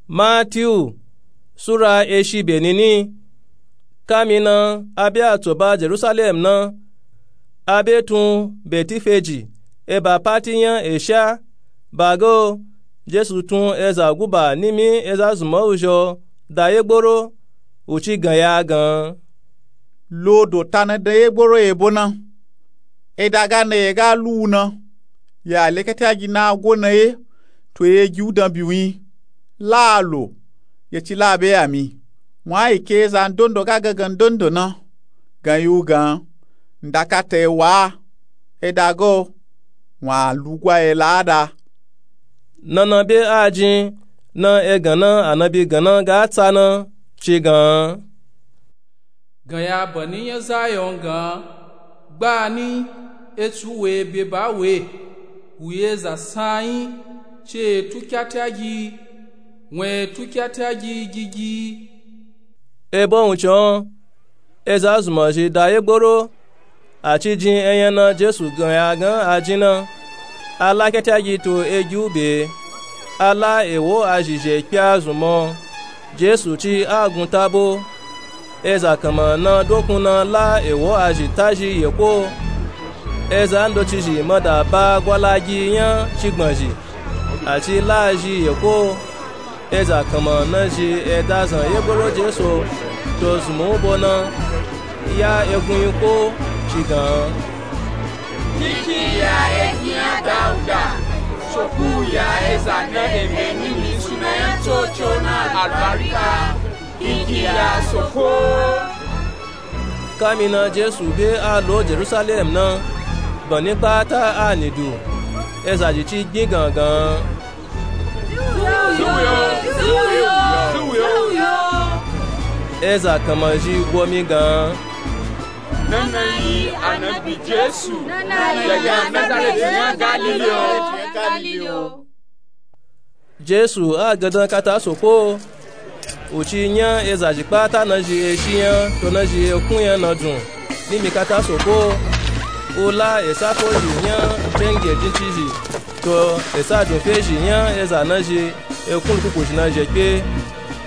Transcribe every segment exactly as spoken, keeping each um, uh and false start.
Matiyu sura eshi benini. Kamina abe a tsoba jerusalem na, abe tun betifeji eba pati nya esha. Bago jesu tun eza guba nimi eza zuma uzho da yegboro, uci gan ya gan. Lodo ta na da yegboro ebo na. Eda ga na ye ga lu na, ya le kete agi na gwo na ye, to ye gi u dan biwin. La lo ye ci la be ya mi. Wun a yi ke eza ndondo ga gangan ndondo na gan yi u gan. Nda kata ye wa. Eda go wun a lugwa ye la da. Nana be a jin na egan na anabi gan na ga tsa na ci gan. Gan ya bani nya zayon gan. Gbani etsu we be ba we. Wu ye za sanyi ce tu kyatagi. Wun e tu kyatagi gigi. Ebo wuncin eza zuma zhi da yegboro. A ci jin enyana jesu gan ya gan a jin na. A la kyatagi to egi u be. A la ewo a zhi zhe kpe a zuma. Jesu ci a gun tabo. Eza kanma na dokun na la ewo a zhi ta zhi yeko. Eza ndoci zhi ma da ba gwalagi nya cigban zhi. A ci la zhi yeko. Eza kanma na zhi eda zan yegboro jesu to zuma u bo na. Ya egun yi ko ci gan. Kiki ya eginya dauda. Soku ya eza na eme nini suna ya tsoco na albarika. Kiki ya soko. Kamina jesu be a lo jerusalem na, bani kpata a nidu. Eza zhi ci gbin gangan. Eza kanma zhi gwo mi gan. Nana yi anabi jesu. Nana yi anabi jesu. Galili o. Jesu a gandan kata soko. Uci nya eza zhi kpata na zhi eshi nya to na zhi ekun nya na dun. Nimi kata soko. U la esa ko zhi nya cenge jinci zhi. To esa dun fe zhi nya eza na zhi ekun lukuku zhi na zhi ekpe.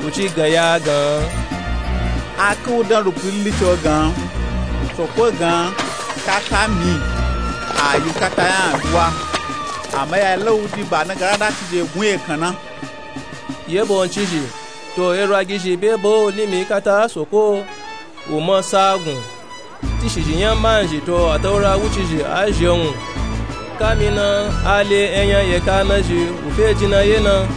Uci gan ya gan. A ke u dan lukuli lico gan. Soko gan kata mi. A yi kata yan duwa. Ama ya la u di ba na gara da ci zhi egun ekan na. Yebo ncizhi to erwagi zhi be bo nimi kata soko. U ma sagun. Tishi zhi nya manzhi to ataura wuci zhi a zhi wun. Kamina a le enya yeka na zhi u fe jina ye na.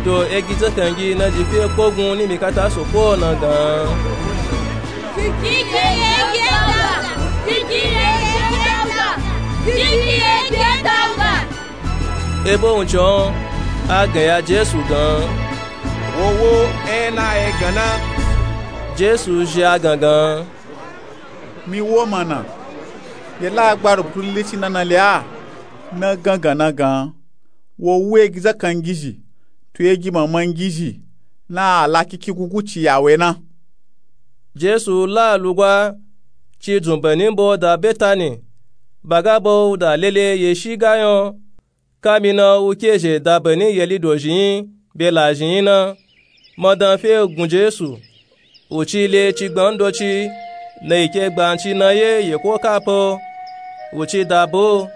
To egi zakangi na zhi fe kpogun nimi kata soko na gan. Kiki ye ge dauda. Kiki ye ge dauda. Kiki ye ge dauda. Ebo wuncin a gan ya jesu gan. Wowo ena egan na. Jesu zhi a gangan. Mi wo mana. Ye la gba rubutulili ci nana le a. Na gangan na gan. Wo wu egi zakangizhi to egi mamangizhi. Na a la kiki gugu ci ya we na. Jesu la lugwa ci dzun bani bo da betani. Baga bo u da lele ye shi gayon. Kamina u ke zhe da bani yeli dozhi yin be lazhi yin na. Madan fe gun jesu. U ci le cigban ndoci na yi ke gbanci na ye yeko kapo. U ci da bo.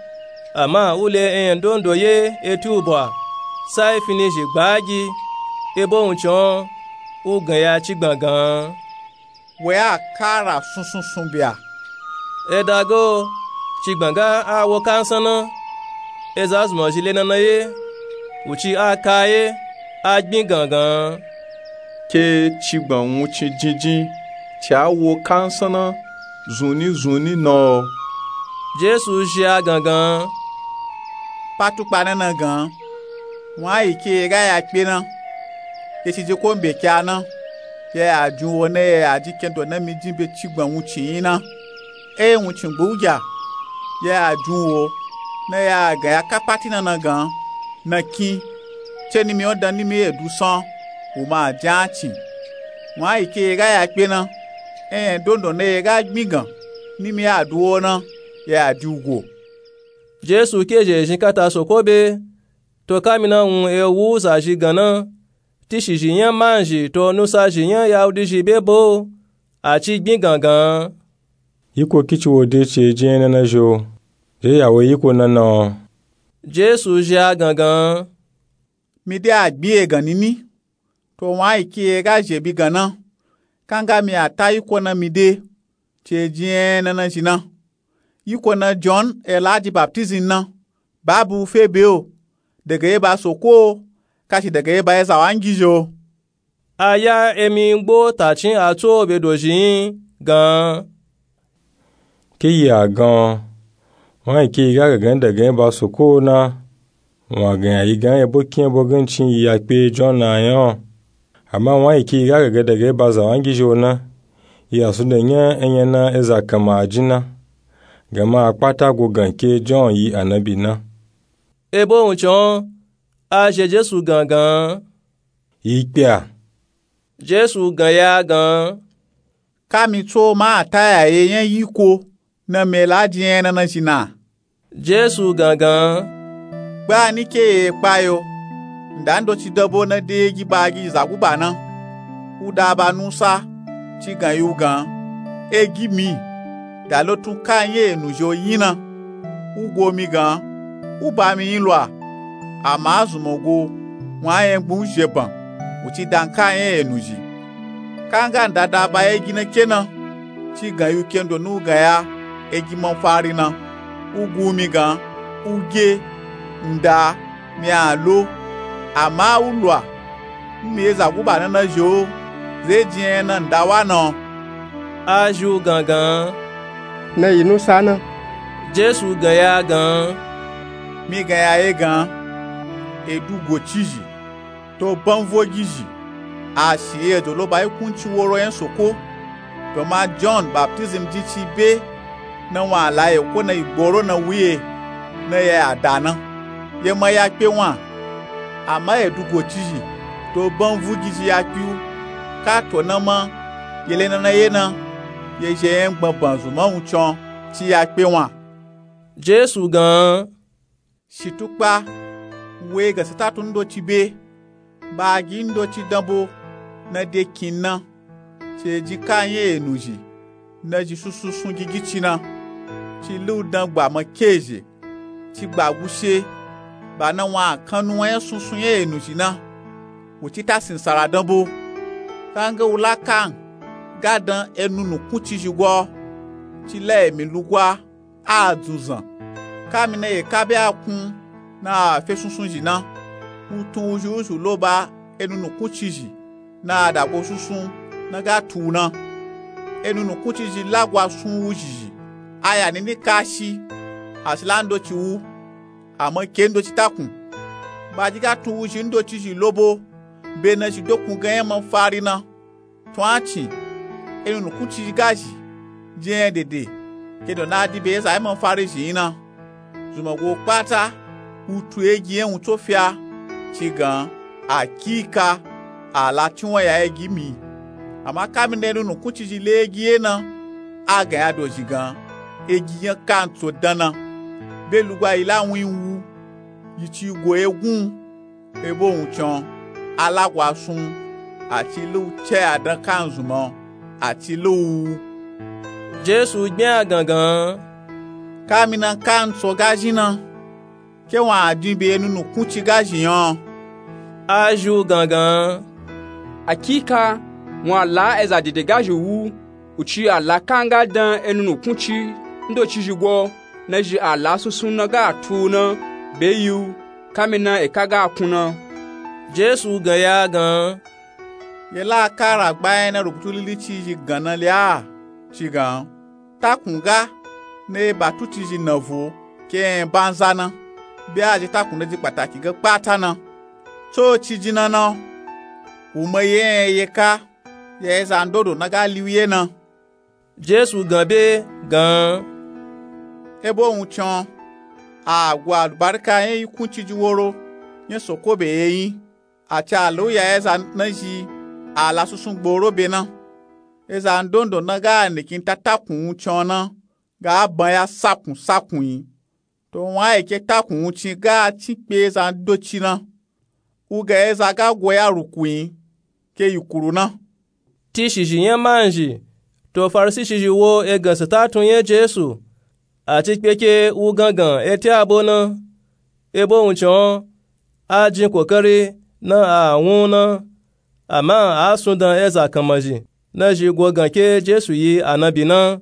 Ama u le eyan ndondo ye eti u bwa. Sai fini zhi gbagi. Ebo wuncin u gan ya cigban gan. We a kara sunsunsun bia. Edago cigban ga a wo kansan na. Eza zuma zhi le nana ye. U ci a ka ye a gbin gangan. Ke cigban wuncin jinjin ci a wo kansan na. Zunni zunni na o. Jesu zhi a gangan. Patukpa nana gan. Wun a yi ke ye ga ya kpe na. Ye ci je ko mbe kya na. Ya ya jun wo na ya ya ji kendo na mi jin be cigban wuncin yin na. E wuncin gbe u gya. Ya ya jun wo na ya gan ya kapati nana gan. Na kin ce nimi o dan nimi ye du san. U ma jan cin. Wun a yi ke ye ga ya kpe na. Eyan ndondo na ye ga gbin gan nimi ya du wo na. Ya ya di u go. Jesu ke zhe zhin kata soko be. To kamina wun e wu za zhi gan na. tishizhi nya manzhi to nusazhi nya yahudizhi be bo. A ci gbin gangan. Yiko kici wo de ci eji ena na zhi o? De ya wo yiko na na o? Jesu zhi a gangan. Mi de a gbin egan nini. To wun a yi ke ye ga zhi ebi gan na, kanga mi a ta yiko na mi de ci eji ena na zhi na. Yiko na jon e la ji baptizim na, babu fe be o, daga eba soko o, kashi daga eba eza wangizhi o? A ya emi ngbo ta cin a tso be dozhi yin gan. Ke yi a gan o? Wun a yi ke yi ga gangan daga eba soko o na, wun a gan ya yi gan ebo kin ebo gancin yi ya kpe jon na nya o. Ama wun a yi ke yi ga gangan daga eba zawangizhi o na, yi a sunda nya enya na eza kanma a jin na, gama a kpata go gan ke jon yi anabi na. Ebo wuncin o, a zhi e jesu gangan. Yi kpe a? Jesu gan ya gan. Ka mi tso ma a ta ya ye nya yiko na mi e la ji ena na zhi na? Jesu gangan. Gba ni ke ye kpa yo, nda ndoci dan bo na de egi ba gi zaguba na, u da ba nusa, ci gan yi u gan, egi mi, da lotun ka nya enu zhi o yin na. U go mi gan, u ba mi yin lwa. Ama a zunmo go, wun a nya gbin u zhi eban, u ci da n ka nya enu zhi. Kanga nda da ba egi na ke na, ci gan yi u kendo na u gan ya egi manfari na. U gu mi gan, u ge, nda, mi a lo. Ama u lwa, n mi e zaguba na na zhi o, ze ji ena nda wa na o? A zhi u gangan. Na yi nusa na. Jesu gan ya gan. Mi gan ya ye gan, edugocizhi, to banvogizhi, a shi ejo lo ba yi kunci woro nya soko. Gama jon baptizim jin ci be na wun a la yeko na yi gboro na wu ye, na ya ya da na, ye ma ya kpe wun a. Ama edugocizhi, to banvugizhi ya kpe u, ka to na ma, ye le na na ye na, ye zhi enya gbangban zunman wuncin o, ci ya kpe wun a. Jesu gan. Shitukpa, we ga satatun ndoci be, ba gi ndoci dan bo na de kin na, ci e ji ka nya enu zhi, na zhi sunsun sun gigici na, ci lu dan gba ma ke zhi, ci gba gushe, ba na wun a kan nuwan nya sunsun nya enu zhi na, u ci ta sinsara dan bo. Kanga u la kan ga dan enu nukuncizhi gwa o, ci la emi lugwa a dzunzan. Ka mi na ye ka be a kun na a fe sunsun zhi na, u tun wuzhi wuzhi lo ba enu nukuncizhi na a dago sunsun na ga tu u na. Enu nukuncizhi lagwa sun wuzhizhi, a ya nini kashi, a si la ndoci wu, ama ke ndoci takun. Ba ji ga tun wuzhi ndocizhi lo bo, be na zhi dokun gan nya manfari na. Tun a cin, enu nukuncizhi ga zhi, ji enya dede, kendo na a di be eza nya manfari zhi yin na. Zunman go kpata, u tu egi nya wuntso fi a, ci gan, akika, a la ci wun ya egi mi. Ama ka mi na enu nukuncizhi le egi ye na, a gan ya dozhi gan, egi nya kantso dan na, be lugwa yi la wun yi wu, yi ci go ye gun. Ebo wuncin o, a lagwa sun u, a ci lu ce a dan kan zunman o, a ci lu u. Jesu gbin a gangan. Ka mi na kantso ga zhi na, ke wun a din be enu nukunci ga zhi nya o? A zhi u gangan. Akika, wun a la eza dede ga zhi wu, u ci a la kanga dan enu nukunci ndocizhi gwa o, na zhi a la sunsun na ga tu u na, be yi u, ka mi na eka ga kun na. Jesu gan ya gan. Ye la ka ragba enya na rubutu lilici zhi gan na le a, ci gan, takun ga na eba tucizhi na vo ke enya banza na, be a zhi takun na ji kpataki ga kpata na. Tso ci ji na na o, u ma ye enya ye ka, ya eza ndodo na ga li u ye na. Jesu gan be gan. Ebo wuncin o, a go alubarika nya yi kunciji woro nya soko be ye yin, a ci a la u ya eza na zhi a la sunsun gboro be na. Eza ndondo na ga nikin ta takun wuncin o na, ga a ban ya sakun sakun yi. To wun a yi ke takun wuncin ga a cin kpe eza ndoci na. Wugan eza ga go ya ruku nyi ke yikulu na. Tishizhi nya manzhi to farisishizhi wo egan sata tun nya jesu. Ati kpeke wugan gan eti abo na. Ebo wuncin o a jin kokari na a wun na. Ama a sundan eza kanmanzhi na zhi go gan ke jesu yi anabi na.